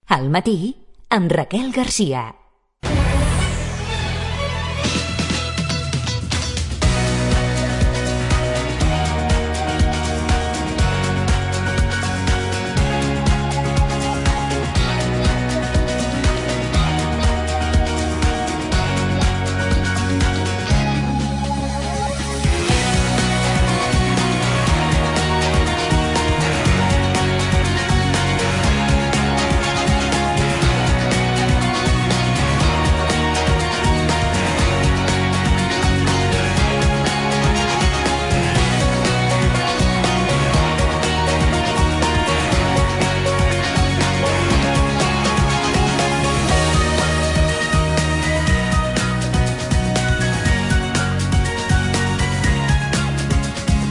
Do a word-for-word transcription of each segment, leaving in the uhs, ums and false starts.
Al matí, amb Raquel Garcia.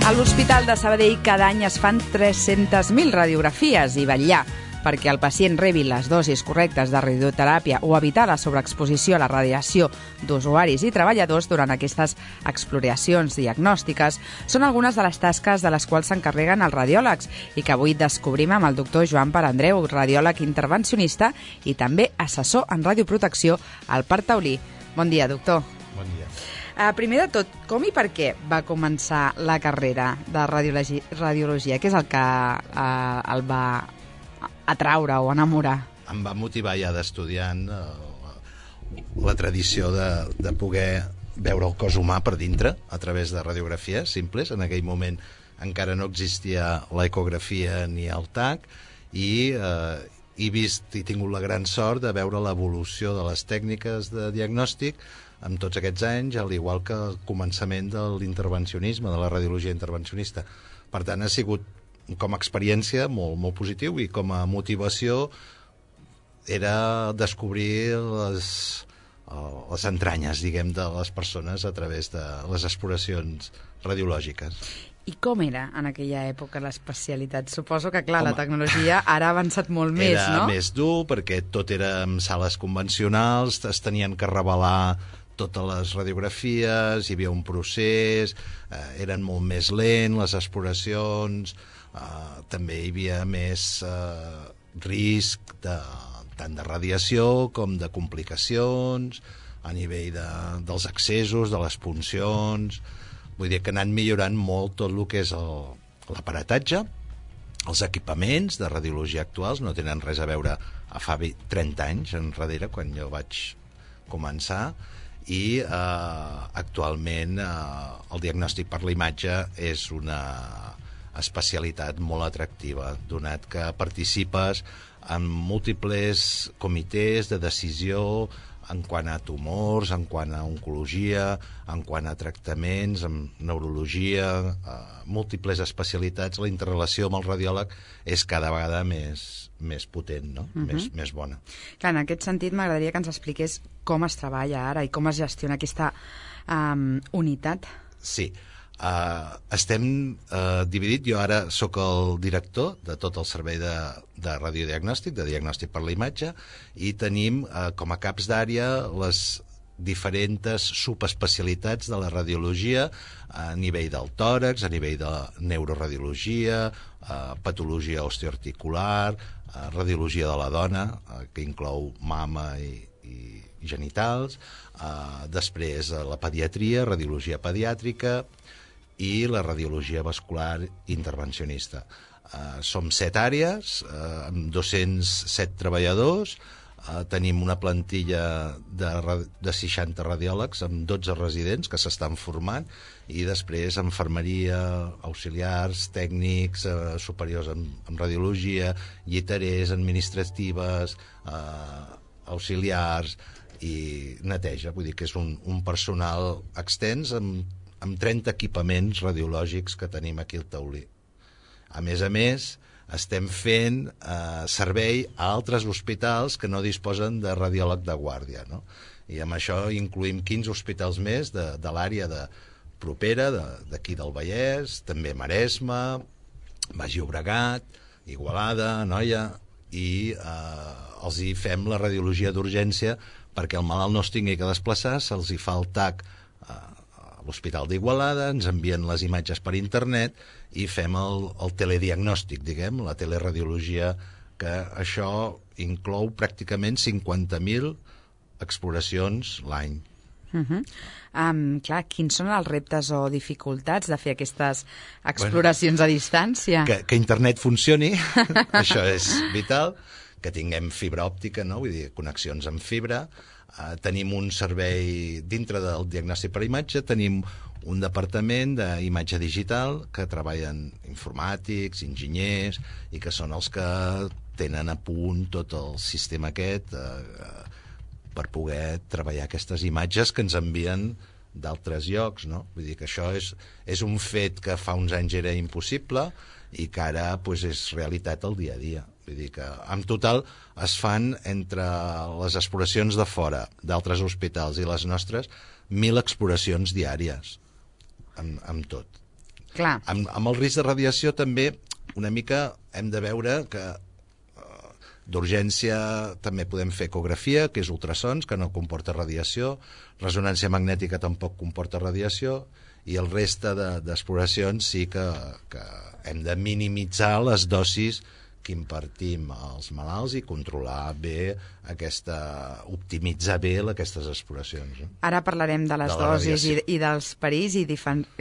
A l'Hospital de Sabadell cada any es fan tres-centes mil radiografies i vetllar perquè el pacient rebi les dosis correctes de radioteràpia o evitar la sobreexposició a la radiació d'usuaris i treballadors durant aquestes exploracions diagnòstiques són algunes de les tasques de les quals s'encarreguen els radiòlegs i que avui descobrim amb el doctor Joan Perandreu, radiòleg intervencionista i també assessor en radioprotecció al Parc Taulí. Bon dia, doctor. Bon dia. Uh, primer de tot, com i per què va començar la carrera de radiologia? radiologia? Què és el que uh, el va atraure o enamorar? Em va motivar ja d'estudiant uh, la tradició de, de poder veure el cos humà per dintre a través de radiografies simples. En aquell moment encara no existia l'ecografia ni el T A C i uh, he vist i tingut la gran sort de veure l'evolució de les tècniques de diagnòstic amb tots aquests anys, al igual que el començament de l'intervencionisme, de la radiologia intervencionista. Per tant, ha sigut com a experiència molt, molt positiu i com a motivació era descobrir les, les entranyes, diguem, de les persones a través de les exploracions radiològiques. I com era en aquella època l'especialitat? Suposo que, clar, Home, la tecnologia ara ha avançat molt més, no? Era més dur perquè tot era en sales convencionals, es tenien que revelar totes les radiografies, hi havia un procés, eh, eren molt més lents les exploracions, eh, també hi havia més eh, risc de, tant de radiació com de complicacions a nivell de, dels accessos, de les puncions. Vull dir que han anat millorant molt tot el que és l'aparatatge, els equipaments de radiologia actuals no tenen res a veure a fa trenta anys enrere, quan jo vaig començar, i eh, actualment eh, el diagnòstic per la imatge és una especialitat molt atractiva, donat que participes en múltiples comitès de decisió en quant a tumors, en quant a oncologia, en quant a tractaments, en neurologia, eh, múltiples especialitats. La interrelació amb el radiòleg és cada vegada més, més potent, no? Uh-huh. més, més bona. Clar, en aquest sentit m'agradaria que ens expliqués com es treballa ara i com es gestiona aquesta um, unitat. Sí. Uh, estem uh, dividit, jo ara sóc el director de tot el servei de, de radiodiagnòstic, de diagnòstic per la imatge, i tenim uh, com a caps d'àrea les diferents subespecialitats de la radiologia a nivell del tòrax, a nivell de neuroradiologia, uh, patologia osteoarticular, uh, radiologia de la dona, uh, que inclou mama i, i genitals, uh, després uh, la pediatria, radiologia pediàtrica, i la radiologia vascular intervencionista. Uh, som set àrees, uh, amb dos-cents set treballadors, uh, tenim una plantilla de, de seixanta radiòlegs amb dotze residents que s'estan formant i després infermeria, auxiliars, tècnics, uh, superiors en, en radiologia, lliterers, administratives, uh, auxiliars i neteja. Vull dir que és un, un personal extens amb amb trenta equipaments radiològics que tenim aquí al Taulí. A més a més, estem fent eh, servei a altres hospitals que no disposen de radiòleg de guàrdia, no? I amb això incluïm quinze hospitals més de, de l'àrea de propera, d'aquí de, del Vallès, també Maresme, Baix Llobregat, Igualada, Anoia, i eh, els hi fem la radiologia d'urgència perquè el malalt no es tingui que desplaçar, se'ls hi fa el T A C eh, l'Hospital d'Igualada, ens envien les imatges per internet i fem el, el telediagnòstic, diguem, la teleradiologia, que això inclou pràcticament cinquanta mil exploracions l'any. Uh -huh. um, clar, quins són els reptes o dificultats de fer aquestes exploracions bueno, a distància? Que, que internet funcioni, això és vital, que tinguem fibra òptica, no? Vull dir, connexions amb fibra, uh, tenim un servei dintre del diagnòstic per imatge, tenim un departament d'imatge digital que treballen informàtics, enginyers, i que són els que tenen a punt tot el sistema aquest eh, per poder treballar aquestes imatges que ens envien d'altres llocs, no? Vull dir que això és, és un fet que fa uns anys era impossible i que ara pues, és realitat al dia a dia. Vull dir que en total es fan entre les exploracions de fora d'altres hospitals i les nostres mil exploracions diàries amb, amb tot. Clar. Amb, amb el risc de radiació també una mica hem de veure que d'urgència també podem fer ecografia, que és ultrasons, que no comporta radiació, resonància magnètica tampoc comporta radiació, i el reste d'exploracions sí que, que hem de minimitzar les dosis que impartim als malalts i controlar bé aquesta, optimitzar bé aquestes exploracions. No? Ara parlarem de les de dosis i, i dels perills i,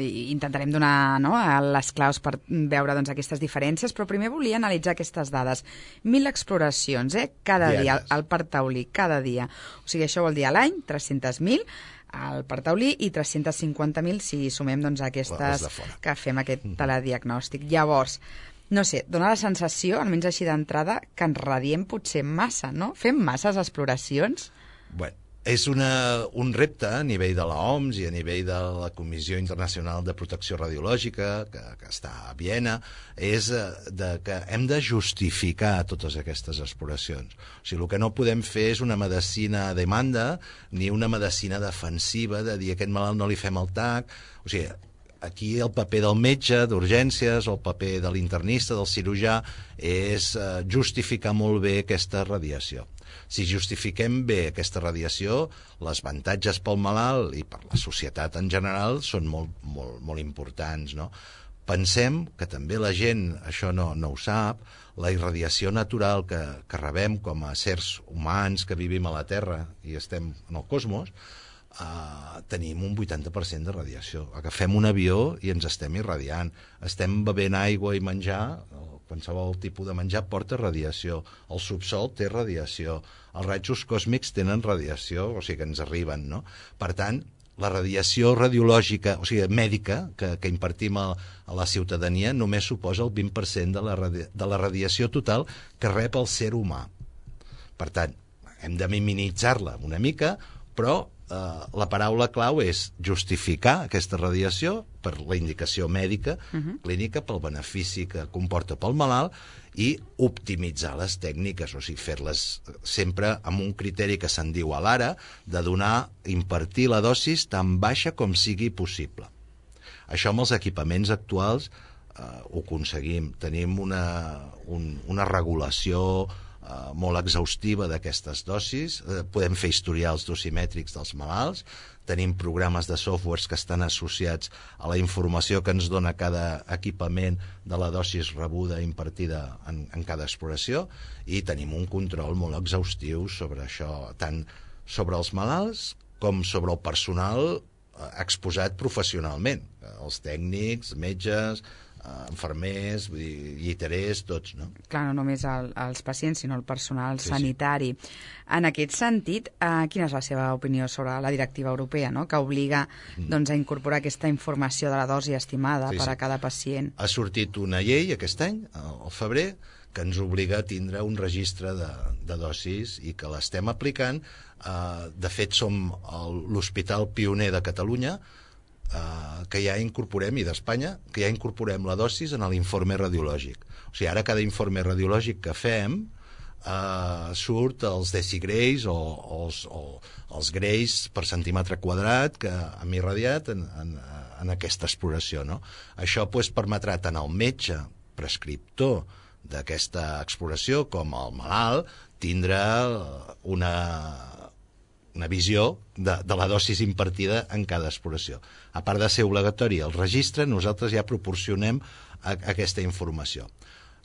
i intentarem donar no, les claus per veure doncs, aquestes diferències, però primer volia analitzar aquestes dades. Mil exploracions, eh? Cada Dianes. dia, al Parc Taulí, cada dia. O sigui, això vol dir a l'any, tres-cents mil al Parc Taulí i tres-cents cinquanta mil si sumem doncs, aquestes que fem aquest telediagnòstic. Llavors, no sé, dona la sensació, almenys així d'entrada, que ens radiem potser massa, no? Fem masses exploracions? Bueno, és una, un repte a nivell de l'O M S i a nivell de la Comissió Internacional de Protecció Radiològica, que, que està a Viena, és de, que hem de justificar totes aquestes exploracions. O sigui, el que no podem fer és una medicina a demanda ni una medicina defensiva de dir a aquest malalt no li fem el tac. O sigui, aquí el paper del metge d'urgències o el paper de l'internista, del cirurgià, és eh, justificar molt bé aquesta radiació. Si justifiquem bé aquesta radiació, els avantatges pel malalt i per la societat en general són molt, molt, molt importants, no? Pensem que també la gent, això no, no ho sap, la irradiació natural que, que rebem com a sers humans que vivim a la Terra i estem en el cosmos, Uh, tenim un vuitanta per cent de radiació. Agafem un avió i ens estem irradiant. Estem bevent aigua i menjar, qualsevol tipus de menjar porta radiació. El subsol té radiació. Els rajos còsmics tenen radiació, o sigui que ens arriben, no? Per tant, la radiació radiològica, o sigui, mèdica, que, que impartim a, a la ciutadania, només suposa el vint per cent de la, de la radiació total que rep el ser humà. Per tant, hem de minimitzar-la una mica, però Uh, la paraula clau és justificar aquesta radiació per la indicació mèdica, uh-huh. clínica, pel benefici que comporta pel malalt i optimitzar les tècniques, o sigui, fer-les sempre amb un criteri que se'n diu a l'ara, de donar, impartir la dosis tan baixa com sigui possible. Això amb els equipaments actuals uh, ho aconseguim. Tenim una, un, una regulació Uh, molt exhaustiva d'aquestes dosis, uh, podem fer historials dosimètrics dels malalts, tenim programes de softwares que estan associats a la informació que ens dona cada equipament de la dosis rebuda impartida en, en cada exploració, i tenim un control molt exhaustiu sobre això, tant sobre els malalts com sobre el personal uh, exposat professionalment, uh, els tècnics, metges, infermers, lliterers, tots, no? Clar, no només el, els pacients, sinó el personal sí, sanitari. Sí. En aquest sentit, eh, quina és la seva opinió sobre la directiva europea, no?, que obliga mm. doncs, a incorporar aquesta informació de la dosi estimada sí, per a sí. cada pacient? Ha sortit una llei aquest any, al febrer, que ens obliga a tindre un registre de, de dosis i que l'estem aplicant. Eh, de fet, som l'hospital pioner de Catalunya, Uh, que ja incorporem, i d'Espanya, que ja incorporem la dosis en l'informe radiològic. O sigui, ara cada informe radiològic que fem uh, surt els decigrays o, o, els, o els grays per centímetre quadrat que hem irradiat en, en, en aquesta exploració, no? Això pues, permetrà tant al metge prescriptor d'aquesta exploració com al malalt tindrà una una visió de, de la dosis impartida en cada exploració. A part de ser obligatori el registre, nosaltres ja proporcionem a, a aquesta informació.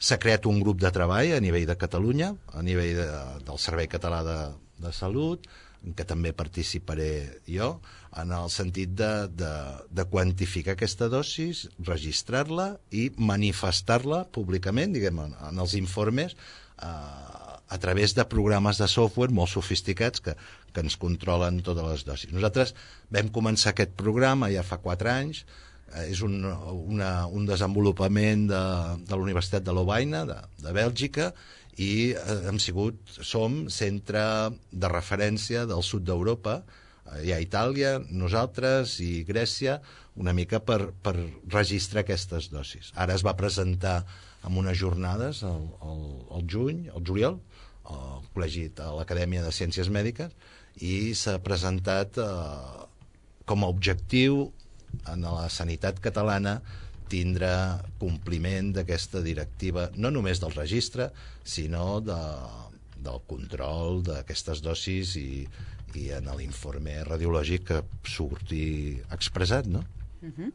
s'ha creat un grup de treball a nivell de Catalunya, a nivell de, del Servei Català de, de Salut, en què també participaré jo, en el sentit de, de, de quantificar aquesta dosis, registrar-la i manifestar-la públicament, diguem, en, en els informes, eh, a través de programes de software molt sofisticats que, que ens controlen totes les dosis. Nosaltres vam començar aquest programa ja fa quatre anys, eh, és un, una, un desenvolupament de, de la Universitat de Lovaina, de, de Bèlgica, i hem sigut, som centre de referència del sud d'Europa. Hi ha Itàlia, nosaltres i Grècia, una mica per, per registrar aquestes dosis. Ara es va presentar en unes jornades al, al, al juny, al juliol, al col·legi, a l'Acadèmia de Ciències Mèdiques, i s'ha presentat eh, com a objectiu en la sanitat catalana tindre compliment d'aquesta directiva, no només del registre, sinó de, del control d'aquestes dosis i, i en l'informe radiològic que surti expressat, no? Uh-huh.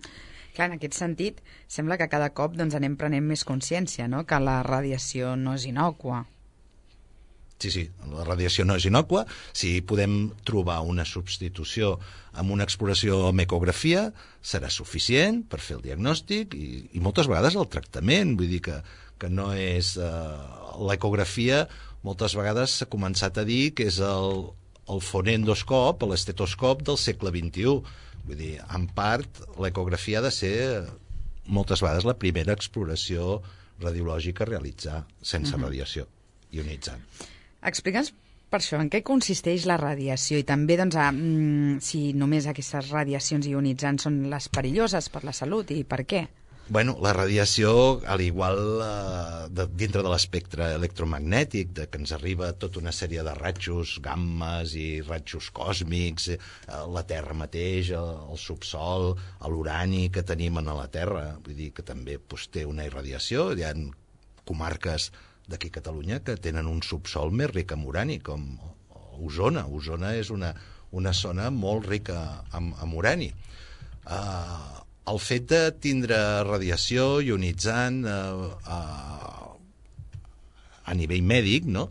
Clar, en aquest sentit, sembla que cada cop doncs, anem prenent més consciència, no?, que la radiació no és innòcua. Sí, sí, la radiació no és innòcua. Si podem trobar una substitució amb una exploració amb ecografia, serà suficient per fer el diagnòstic i, i moltes vegades el tractament. Vull dir que, que no és... Eh, l'ecografia moltes vegades s'ha començat a dir que és el, el fonendoscop, l'estetoscop del segle vint-i-u. Vull dir, en part, l'ecografia ha de ser moltes vegades la primera exploració radiològica a realitzar sense uh-huh. radiació ionitzant. Explica'ns per això en què consisteix la radiació i també doncs, a, mm, si només aquestes radiacions ionitzants són les perilloses per la salut i per què? Bueno, la radiació, al igual eh, de, dintre de l'espectre electromagnètic, de que ens arriba tota una sèrie de ratxos, gammes i ratxos còsmics, eh, la Terra mateix, el, el subsol, l'urani que tenim a la Terra, vull dir que també pues, té una irradiació. Hi ha comarques d'aquí a Catalunya que tenen un subsol més ric en urani, com Osona. Osona és una, una zona molt rica en, en urani. Uh, el fet de tindre radiació ionitzant uh, uh, a nivell mèdic, no?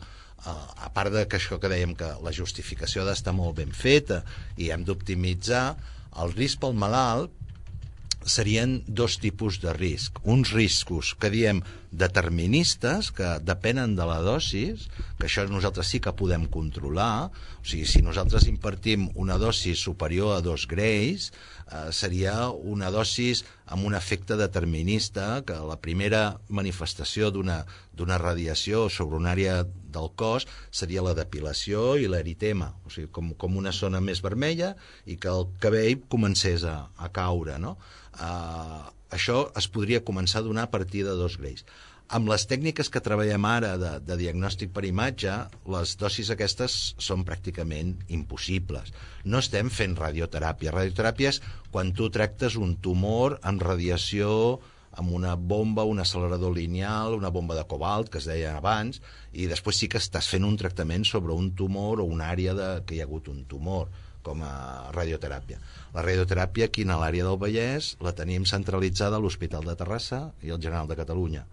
Uh, a part de que això que dèiem que la justificació ha d'estar molt ben feta i hem d'optimitzar, el risc pel malalt serien dos tipus de risc. Uns riscos que diem deterministes, que depenen de la dosis, que això nosaltres sí que podem controlar. O sigui, si nosaltres impartim una dosis superior a dos greis, eh, seria una dosis amb un efecte determinista, que la primera manifestació d'una d'una radiació sobre una àrea del cos seria la depilació i l'eritema, o sigui, com, com una zona més vermella i que el cabell comencés a, a caure, no? Uh, això es podria començar a donar a partir de dos greis. Amb les tècniques que treballem ara de, de diagnòstic per imatge, les dosis aquestes són pràcticament impossibles. No estem fent radioteràpia. Radioteràpia és quan tu tractes un tumor amb radiació, amb una bomba, un accelerador lineal, una bomba de cobalt, que es deia abans, i després sí que estàs fent un tractament sobre un tumor o una àrea de, que hi ha hagut un tumor, com a radioteràpia. La radioteràpia aquí a l'àrea del Vallès la tenim centralitzada a l'Hospital de Terrassa i al General de Catalunya.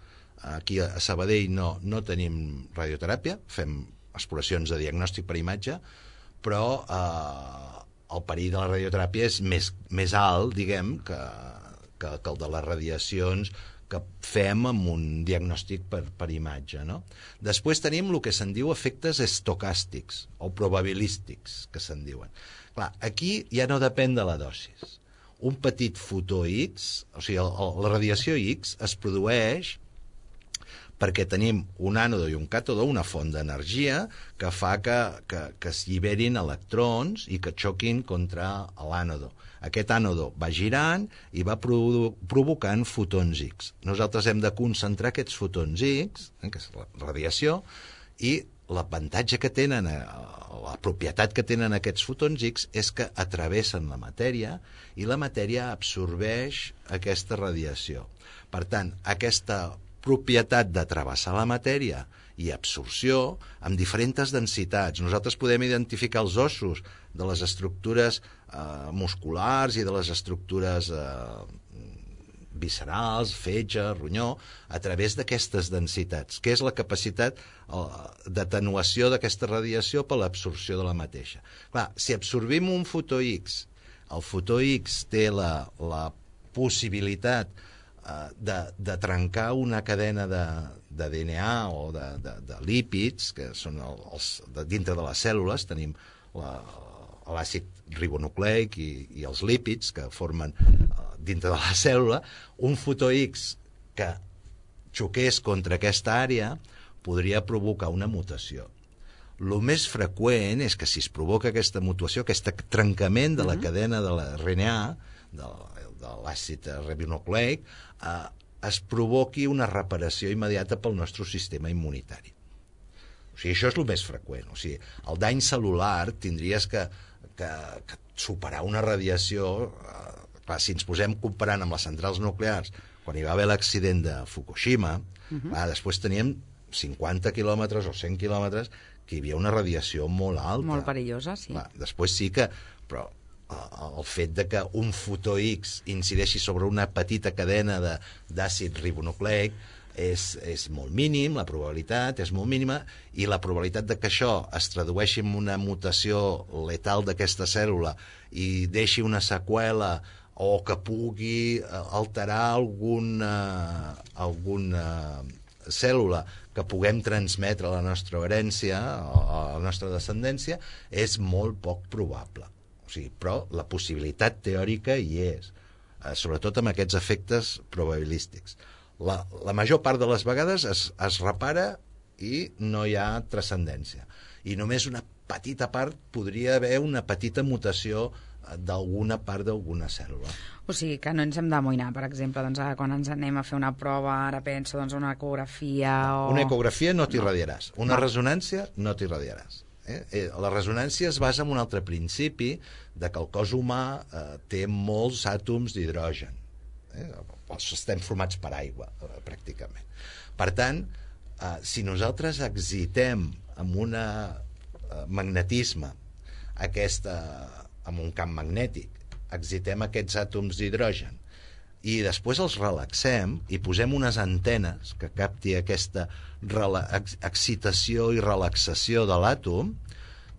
Aquí a Sabadell no, no tenim radioteràpia, fem exploracions de diagnòstic per imatge, però eh, el perill de la radioteràpia és més, més alt, diguem, que, que, que el de les radiacions que fem amb un diagnòstic per, per imatge, no? Després tenim el que se'n diu efectes estocàstics o probabilístics, que se'n diuen. Clar, aquí ja no depèn de la dosis. Un petit fotó X, o sigui, el, el, la radiació X es produeix perquè tenim un ànode i un càtode, una font d'energia que fa que, que, que es lliberin electrons i que xoquin contra l'ànode. Aquest ànode va girant i va provo- provocant fotons X. Nosaltres hem de concentrar aquests fotons X, eh, que és la radiació, i l'avantatge que tenen, la propietat que tenen aquests fotons X és que atravessen la matèria i la matèria absorbeix aquesta radiació. Per tant, aquesta propietat de travessar la matèria i absorció amb diferents densitats. Nosaltres podem identificar els ossos de les estructures eh, musculars i de les estructures eh, viscerals, fetge, ronyó, a través d'aquestes densitats, que és la capacitat d'atenuació d'aquesta radiació per l'absorció de la mateixa. Clar, si absorbim un fotó X, el fotó X té la, la possibilitat uh, de, de trencar una cadena de, de D N A o de, de, de lípids, que són els, de, dintre de les cèl·lules, tenim la, l'àcid ribonucleic i, i els lípids que formen uh, dintre de la cèl·lula. Un fotó X que xoqués contra aquesta àrea podria provocar una mutació. El més freqüent és que si es provoca aquesta mutació, aquest trencament de la cadena de l'R N A, de, de l'àcid ribonucleic, eh, es provoqui una reparació immediata pel nostre sistema immunitari. O sigui, això és el més freqüent. O sigui, el dany cel·lular tindries que, que, que superar una radiació... Eh, clar, si ens posem comparant amb les centrals nuclears, quan hi va haver l'accident de Fukushima, uh-huh. clar, després teníem cinquanta quilòmetres o cent quilòmetres que hi havia una radiació molt alta. Molt perillosa, sí. Clar, després sí que... Però el fet de que un fotó X incideixi sobre una petita cadena d'àcid ribonucleic és, és molt mínim, la probabilitat és molt mínima, i la probabilitat de que això es tradueixi en una mutació letal d'aquesta cèl·lula i deixi una seqüela o que pugui alterar alguna, alguna cèl·lula que puguem transmetre a la nostra herència, a la nostra descendència, és molt poc probable. O sigui, però la possibilitat teòrica hi és, sobretot amb aquests efectes probabilístics. La, la major part de les vegades es, es repara i no hi ha transcendència. I només una petita part podria haver una petita mutació d'alguna part d'alguna cèl·lula. O sigui, que no ens hem d'amoïnar, per exemple, doncs, quan ens anem a fer una prova, ara penso, doncs, una ecografia o... Una ecografia no t'irradiaràs. Una no. resonància no t'irradiaràs. Eh? La resonància es basa en un altre principi de que el cos humà eh, té molts àtoms d'hidrogen. Eh? Estem formats per aigua, eh, pràcticament. Per tant, eh, si nosaltres excitem amb un eh, magnetisme aquesta, amb un camp magnètic, excitem aquests àtoms d'hidrogen i després els relaxem i posem unes antenes que capti aquesta ex excitació i relaxació de l'àtom,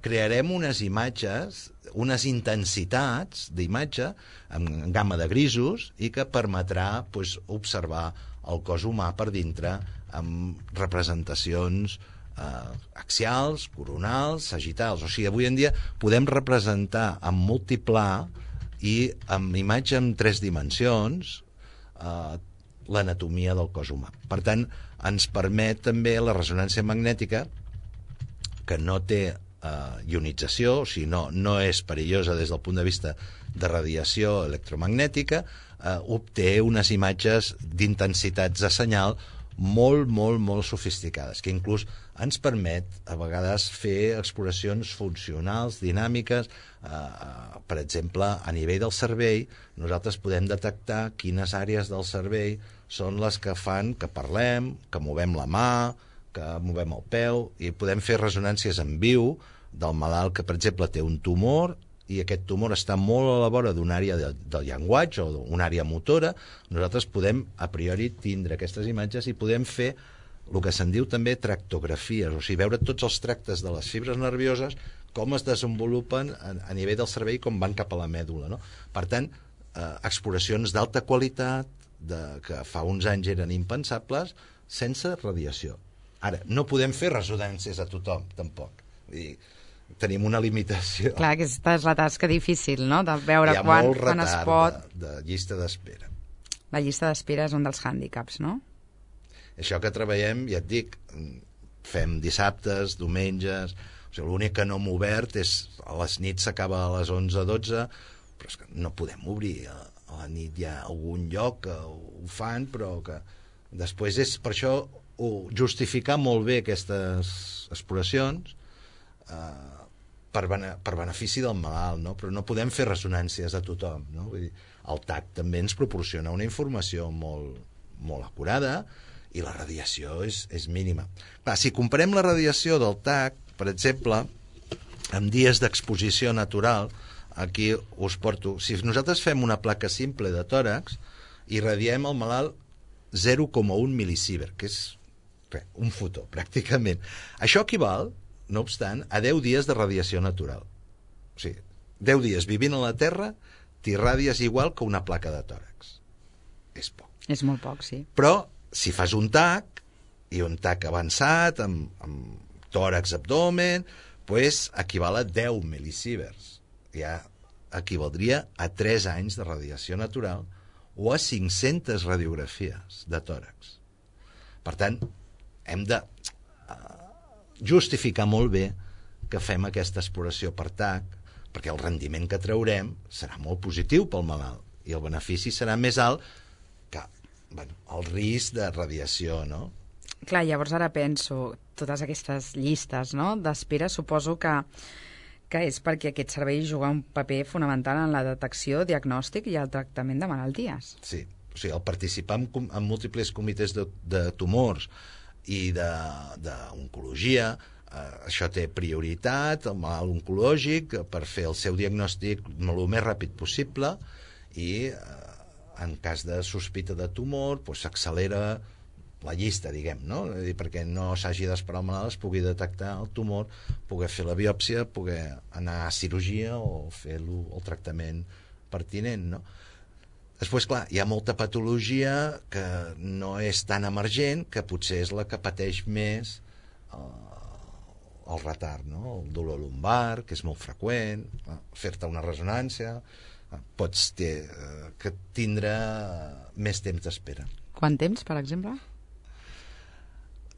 crearem unes imatges, unes intensitats d'imatge en gamma de grisos i que permetrà pues, observar el cos humà per dintre amb representacions eh, axials, coronals, sagitals. O sigui, avui en dia podem representar en multiplà i amb imatge en tres dimensions eh, l'anatomia del cos humà. Per tant, ens permet també la ressonància magnètica, que no té eh, ionització, o sigui, no, no és perillosa des del punt de vista de radiació electromagnètica, eh, obté unes imatges d'intensitats de senyal molt, molt, molt sofisticades, que inclús ens permet a vegades fer exploracions funcionals, dinàmiques. Eh, per exemple, a nivell del cervell, nosaltres podem detectar quines àrees del cervell són les que fan que parlem, que movem la mà, que movem el peu, i podem fer resonàncies en viu del malalt que, per exemple, té un tumor i aquest tumor està molt a la vora d'una àrea de, del llenguatge o d'una àrea motora. Nosaltres podem, a priori, tindre aquestes imatges i podem fer el que se'n diu també tractografies, o sigui, veure tots els tractes de les fibres nervioses, com es desenvolupen a, a nivell del cervell, com van cap a la mèdula, no? Per tant, eh, exploracions d'alta qualitat, de, que fa uns anys eren impensables, sense radiació. Ara, no podem fer resonàncies a tothom, tampoc. Vull dir, tenim una limitació. Clar, aquesta és la tasca difícil, no?, de veure quan, quan es pot... De, de llista d'espera. La llista d'espera és un dels hàndicaps, no? Això que treballem, ja et dic, fem dissabtes, diumenges... O sigui, l'únic que no hem obert és... A les nits s'acaba a les onze o dotze, però és que no podem obrir. A, a la nit hi ha algun lloc que ho fan, però que... Després és per això ho, justificar molt bé aquestes exploracions eh, per, bene, per benefici del malalt, no? Però no podem fer ressonàncies a tothom, no? Vull dir, el T A C també ens proporciona una informació molt, molt acurada i la radiació és, és mínima. Clar, si comparem la radiació del T A C, per exemple, en dies d'exposició natural, aquí us porto... Si nosaltres fem una placa simple de tòrax irradiem al malalt zero coma un mil·lisievert, que és res, un fotó, pràcticament. Això equival, no obstant, a deu dies de radiació natural. O sigui, deu dies vivint a la Terra, t'irradies igual que una placa de tòrax. És poc. És molt poc, sí. Però, si fas un tac, i un tac avançat, amb, amb tòrax, abdomen, pues, equival a deu mil·lisieverts. Ja equivaldria a tres anys de radiació natural o a cinc-centes radiografies de tòrax. Per tant, hem de justificar molt bé que fem aquesta exploració per tac, perquè el rendiment que traurem serà molt positiu pel malalt i el benefici serà més alt que, bueno, el risc de radiació, no? Clar, llavors ara penso, totes aquestes llistes, no?, d'espera, suposo que que és perquè aquest servei juga un paper fonamental en la detecció, diagnòstic i el tractament de malalties. Sí, o sigui, el participar en, en múltiples comitès de, de tumors i d'oncologia, eh, això té prioritat, el malalt oncològic, per fer el seu diagnòstic el més ràpid possible i eh, en cas de sospita de tumor s'accelera doncs, la llista, diguem, no? És dir, perquè no s'hagi d'esperar el malalt, es pugui detectar el tumor, poder fer la biòpsia, poder anar a cirurgia o fer el tractament pertinent, no? Després, clar, hi ha molta patologia que no és tan emergent, que potser és la que pateix més eh, el retard, no? El dolor lumbar, que és molt freqüent, eh, fer-te una ressonància, eh, pots ter, eh, que tindre més temps d'espera. Quant temps, per exemple?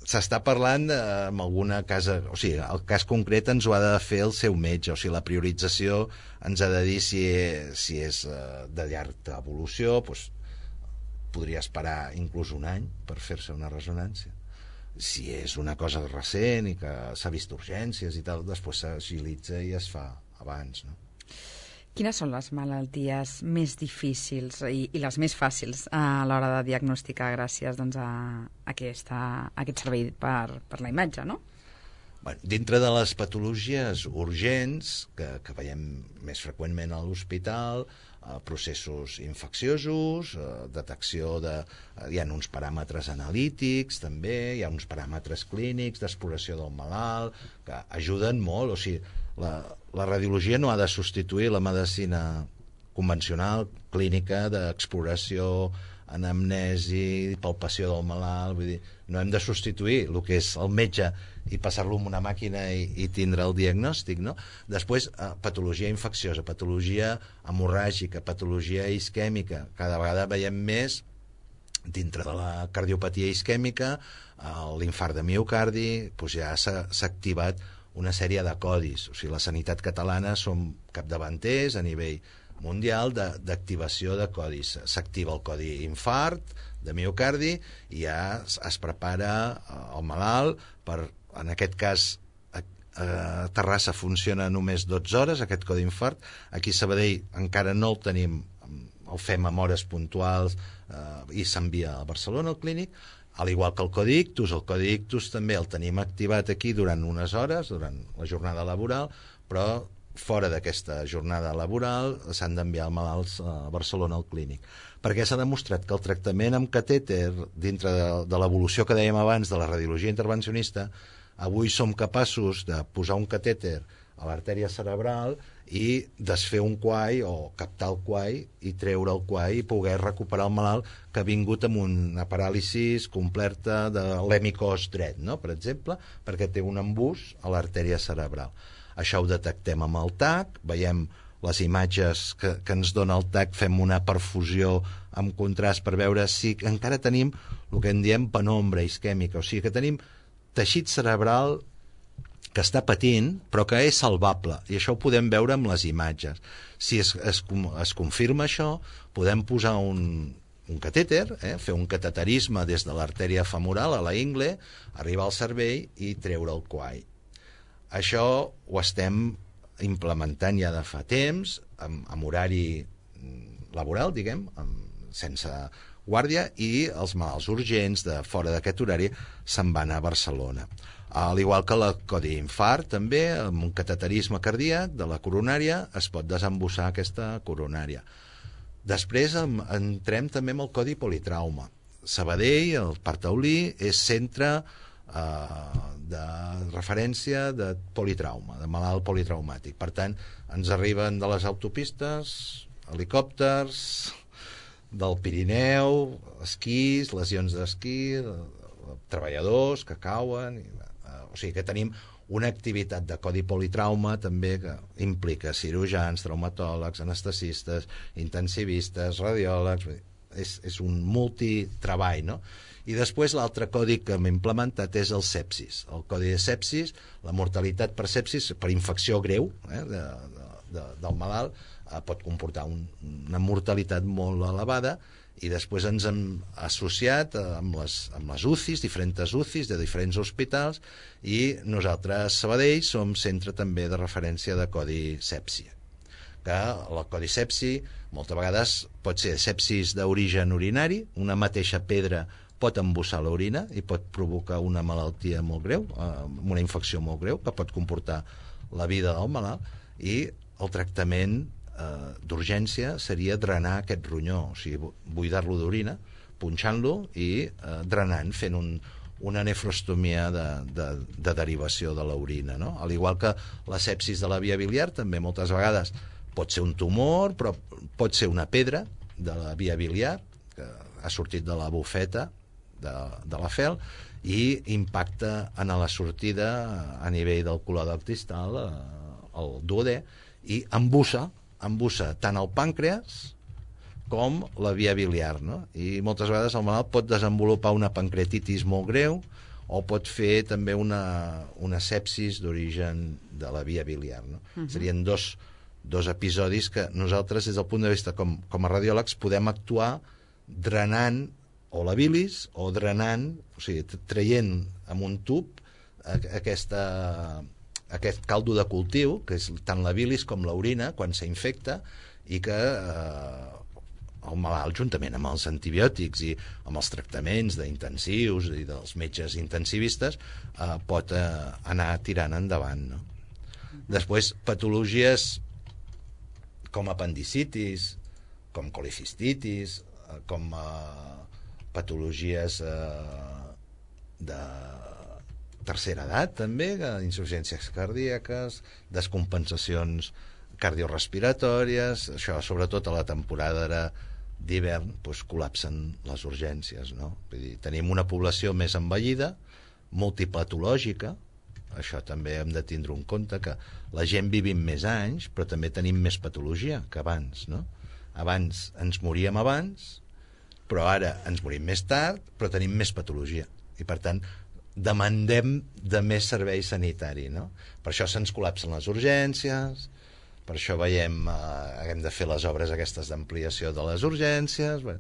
S'està parlant de, amb alguna casa, o sigui, el cas concret ens ho ha de fer el seu metge, o sigui, la priorització ens ha de dir si, si és de llarga evolució, doncs podria esperar inclús un any per fer-se una ressonància. Si és una cosa recent i que s'ha vist urgències i tal, després s'agilitza i es fa abans, no? Quines són les malalties més difícils i, i les més fàcils a l'hora de diagnosticar gràcies, doncs, a, aquesta, a aquest servei per, per la imatge, no? Bueno, dintre de les patologies urgents, que, que veiem més freqüentment a l'hospital, eh, processos infecciosos, eh, detecció de... Eh, hi ha uns paràmetres analítics, també, hi ha uns paràmetres clínics d'exploració del malalt, que ajuden molt, o sigui, la, la radiologia no ha de substituir la medicina convencional, clínica, d'exploració, anamnesi, palpació del malalt, vull dir, no hem de substituir el que és el metge i passar-lo en una màquina i, i tindre el diagnòstic, no? Després, eh, patologia infecciosa, patologia hemorràgica, patologia isquèmica, cada vegada veiem més dintre de la cardiopatia isquèmica, eh, l'infart de miocardi, doncs ja s'ha activat una sèrie de codis, o sigui, la sanitat catalana som capdavanters a nivell mundial d'activació de, de codis. S'activa el codi infart de miocardi i ja es, es prepara el malalt per, en aquest cas a, a Terrassa funciona només dotze hores aquest codi infart, aquí a Sabadell encara no el tenim, el fem amb hores puntuals eh, i s'envia a Barcelona al clínic, al igual que el codi ictus. El codi ictus també el tenim activat aquí durant unes hores, durant la jornada laboral, però fora d'aquesta jornada laboral s'han d'enviar malalts a Barcelona al clínic. Perquè s'ha demostrat que el tractament amb catèter, dintre de, de l'evolució que dèiem abans de la radiologia intervencionista, avui som capaços de posar un catèter a l'artèria cerebral i desfer un quai o captar el quai i treure el quai i poder recuperar el malalt que ha vingut amb una paràlisi completa de l'hemicos dret, no? Per exemple, perquè té un embús a l'artèria cerebral. Això ho detectem amb el tac, veiem les imatges que, que ens dona el tac, fem una perfusió amb contrast per veure si encara tenim el que en diem penombra isquèmica, o sigui que tenim teixit cerebral que està patint, però que és salvable, i això ho podem veure amb les imatges. Si es, es, es confirma això, podem posar un, un catèter, eh, fer un cateterisme des de l'artèria femoral a la ingle, arribar al cervell i treure el quai. Això ho estem implementant ja de fa temps, amb, amb horari laboral, diguem, amb, sense guàrdia, i els malalts urgents de fora d'aquest horari se'n van a Barcelona. Al igual que la codi infart, també, amb un cateterisme cardíac de la coronària, es pot desembussar aquesta coronària. Després em, entrem també amb el codi politrauma. Sabadell, el Parc Taulí, és centre eh, de referència de politrauma, de malalt politraumàtic. Per tant, ens arriben de les autopistes, helicòpters, del Pirineu, esquís, lesions d'esquí, treballadors que cauen, i, eh, o sigui que tenim una activitat de codi politrauma també que implica cirurgians, traumatòlegs, anestesistes, intensivistes, radiòlegs, és, és un multitreball, no? I després l'altre codi que hem implementat és el sepsis. El codi de sepsis, la mortalitat per sepsis, per infecció greu eh, de, de, de, del malalt, eh, pot comportar un, una mortalitat molt elevada, i després ens hem associat amb les, amb les U C Is, diferents U C Is de diferents hospitals, i nosaltres, Sabadell, som centre també de referència de codi sepsi, que el codi sepsi moltes vegades pot ser sepsis d'origen urinari, una mateixa pedra pot embussar l'orina i pot provocar una malaltia molt greu, una infecció molt greu, que pot comportar la vida del malalt, i el tractament eh, d'urgència seria drenar aquest ronyó, o sigui, buidar-lo d'orina, punxant-lo i eh, drenant, fent un, una nefrostomia de, de, de derivació de l'orina, no? Al igual que la sepsis de la via biliar, també moltes vegades pot ser un tumor, però pot ser una pedra de la via biliar, que ha sortit de la bufeta de, de la fel, i impacta en la sortida a nivell del color distal, el duodè, i embussa, embussa tant el pàncreas com la via biliar, no? I moltes vegades el malalt pot desenvolupar una pancreatitis molt greu, o pot fer també una, una sepsis d'origen de la via biliar, no? Uh-huh. Serien dos, dos episodis que nosaltres, des del punt de vista com, com a radiòlegs, podem actuar drenant o la bilis o drenant, o sigui, traient amb un tub aquesta, aquest caldo de cultiu, que és tant la bilis com l'orina, quan s'infecta, i que eh, el malalt, juntament amb els antibiòtics i amb els tractaments d'intensius i dels metges intensivistes, eh, pot eh, anar tirant endavant, no? Després, patologies com apendicitis, com colicistitis, eh, com eh, patologies eh, de tercera edat, també, insuficiències cardíaques, descompensacions cardiorespiratòries, això sobretot a la temporada d'hivern, doncs, col·lapsen les urgències, no? Vull dir, tenim una població més envellida, multipatològica, això també hem de tindre en compte, que la gent vivim més anys, però també tenim més patologia que abans, no? Abans ens moríem abans, però ara ens morim més tard, però tenim més patologia, i per tant demandem de més servei sanitari, no? Per això se'ns col·lapsen les urgències, per això veiem eh, hem de fer les obres aquestes d'ampliació de les urgències. Bé,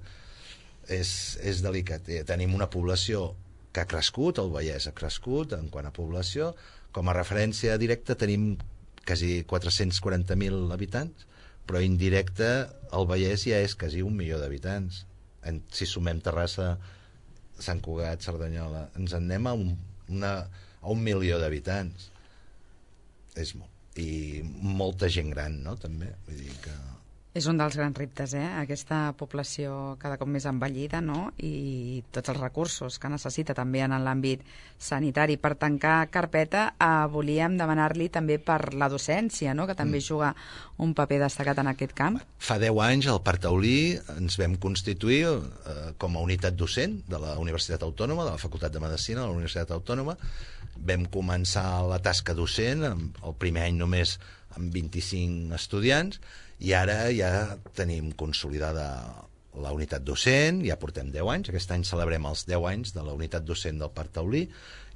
és, és delicat. Tenim una població que ha crescut, el Vallès ha crescut en quant a població. Com a referència directa tenim quasi quatre-cents quaranta mil habitants, però indirecte el Vallès ja és quasi un milió d'habitants. Si sumem Terrassa, Sant Cugat, Cerdanyola, ens en anem a un, una, a un milió d'habitants. És molt. I molta gent gran, no?, també. Vull dir que... És un dels grans reptes, eh?, aquesta població cada cop més envellida, no?, i tots els recursos que necessita també en l'àmbit sanitari. Per tancar carpeta, eh, volíem demanar-li també per la docència, no?, que també mm. juga un paper destacat en aquest camp. Fa deu anys al Parc Taulí ens vam constituir eh, com a unitat docent de la Universitat Autònoma, de la Facultat de Medicina de la Universitat Autònoma. Vam començar la tasca docent, el primer any només amb vint-i-cinc estudiants, i ara ja tenim consolidada la unitat docent, ja portem deu anys, aquest any celebrem els deu anys de la unitat docent del Parc Taulí,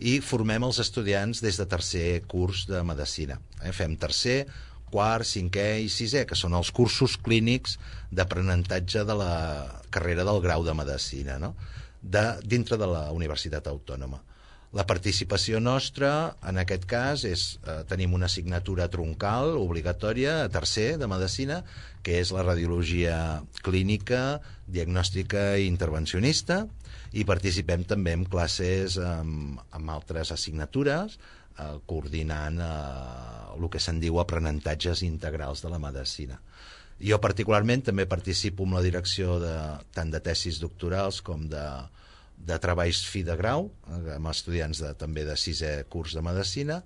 i formem els estudiants des de tercer curs de Medicina. Eh? Fem tercer, quart, cinquè i sisè, que són els cursos clínics d'aprenentatge de la carrera del grau de Medicina, no?, de, dintre de la Universitat Autònoma. La participació nostra, en aquest cas, és eh, tenim una assignatura troncal obligatòria a tercer de Medicina, que és la radiologia clínica, diagnòstica i intervencionista, i participem també en classes amb, amb altres assignatures, eh, coordinant eh, el que se'n diu aprenentatges integrals de la medicina. Jo particularment també participo en la direcció de, tant de tesis doctorals com de, de treballs fi de grau, amb estudiants de, també de sisè curs de medicina,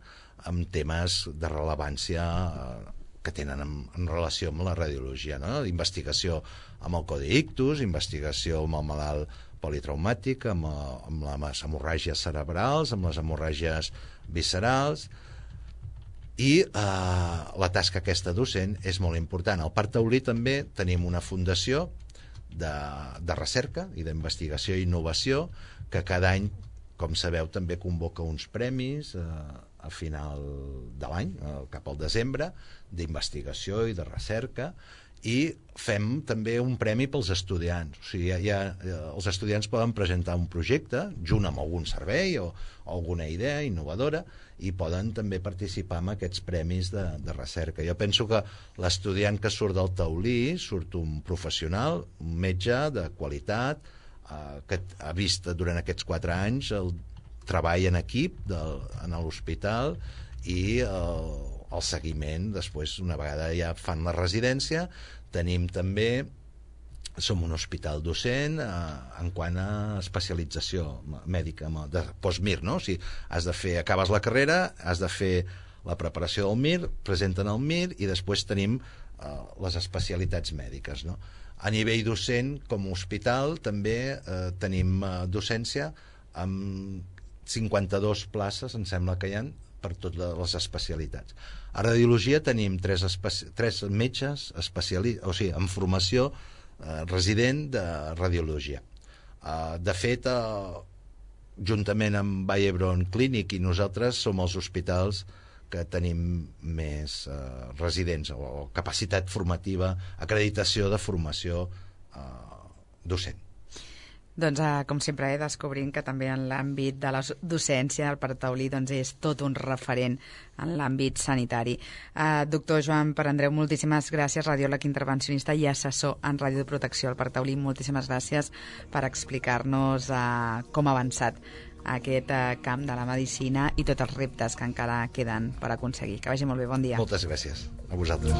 amb temes de rellevància que tenen en, en relació amb la radiologia, no? Investigació amb el codi ictus, investigació amb el malalt politraumàtic, amb, amb les hemorràgies cerebrals, amb les hemorràgies viscerals, i eh, la tasca aquesta docent és molt important. Al Parc Taulí també tenim una fundació de, de recerca i d'investigació i innovació que cada any, com sabeu, també convoca uns premis eh, a final de l'any, eh, cap al desembre, d'investigació i de recerca, i fem també un premi pels estudiants. O sigui, ja, ja, els estudiants poden presentar un projecte junt amb algun servei o, o alguna idea innovadora i poden també participar en aquests premis de, de recerca. Jo penso que l'estudiant que surt del Taulí surt un professional, un metge de qualitat, eh, que ha vist durant aquests quatre anys el treball en equip del, en l'hospital i el, el seguiment després, una vegada ja fan la residència. Tenim també, som un hospital docent eh, en quant a especialització mèdica de post-Mir, no? O sigui, has de fer, acabes la carrera, has de fer la preparació del Mir, presenten el Mir i després tenim eh, les especialitats mèdiques, no? A nivell docent, com a hospital, també eh, tenim eh, docència amb cinquanta-dues places, em sembla que hi ha, per totes les especialitats. A radiologia tenim tres, especi tres metges especialistes, o sigui, en formació eh, resident de radiologia. Eh, de fet, eh, juntament amb Vall d'Hebron Clínic i nosaltres som els hospitals que tenim més eh, residents o, o capacitat formativa, acreditació de formació eh, docent. Doncs, eh, com sempre, eh, descobrint que també en l'àmbit de la docència el Parc Taulí doncs, és tot un referent en l'àmbit sanitari. Eh, doctor Joan Perandreu, moltíssimes gràcies, radiòleg intervencionista i assessor en radioprotecció al Parc Taulí. Moltíssimes gràcies per explicar-nos eh, com ha avançat aquest eh, camp de la medicina i tots els reptes que encara queden per aconseguir. Que vagi molt bé, bon dia. Moltes gràcies a vosaltres.